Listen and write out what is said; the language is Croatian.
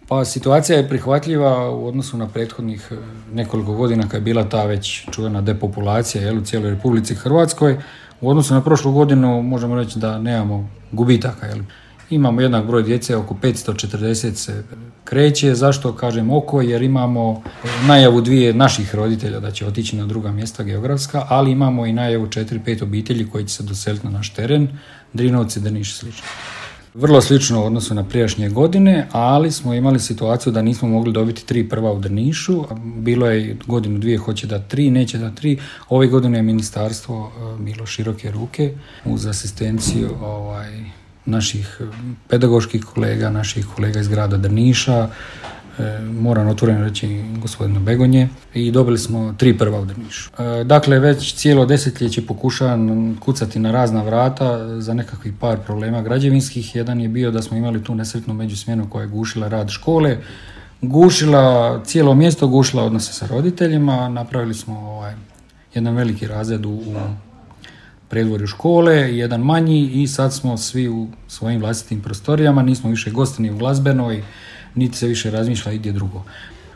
Pa situacija je prihvatljiva u odnosu na prethodnih nekoliko godina kad je bila ta već čuvena depopulacija u cijeloj Republici Hrvatskoj. U odnosu na prošlu godinu možemo reći da nemamo gubitaka. Imamo jednak broj djece, oko 540 se kreće. Zašto kažem oko? Jer imamo najavu 2 naših roditelja da će otići na druga mjesta geografska, ali imamo i najavu 4-5 obitelji koji će se doseliti na naš teren, Drinovci, Drniš i slično. Vrlo slično u odnosu na prijašnje godine, ali smo imali situaciju da nismo mogli dobiti 3 prva u Drnišu. Bilo je godinu 2 hoće da 3, neće da 3. Ove godine je ministarstvo bilo široke ruke uz asistenciju naših pedagoških kolega, naših kolega iz grada Drniša, moram otvoreno reći gospodina Begonje, i dobili smo 3 prva u Drnišu. Dakle, već cijelo desetljeće pokušavam kucati na razna vrata za nekakvih par problema građevinskih. Jedan je bio da smo imali tu nesretnu međusmjenu koja je gušila rad škole, gušila cijelo mjesto, gušila odnose sa roditeljima. Napravili smo jedan veliki razred u predvorju škole, jedan manji, i sad smo svi u svojim vlastitim prostorijama, nismo više gosti ni u glazbenoj, niti se više razmišlja igdje drugo.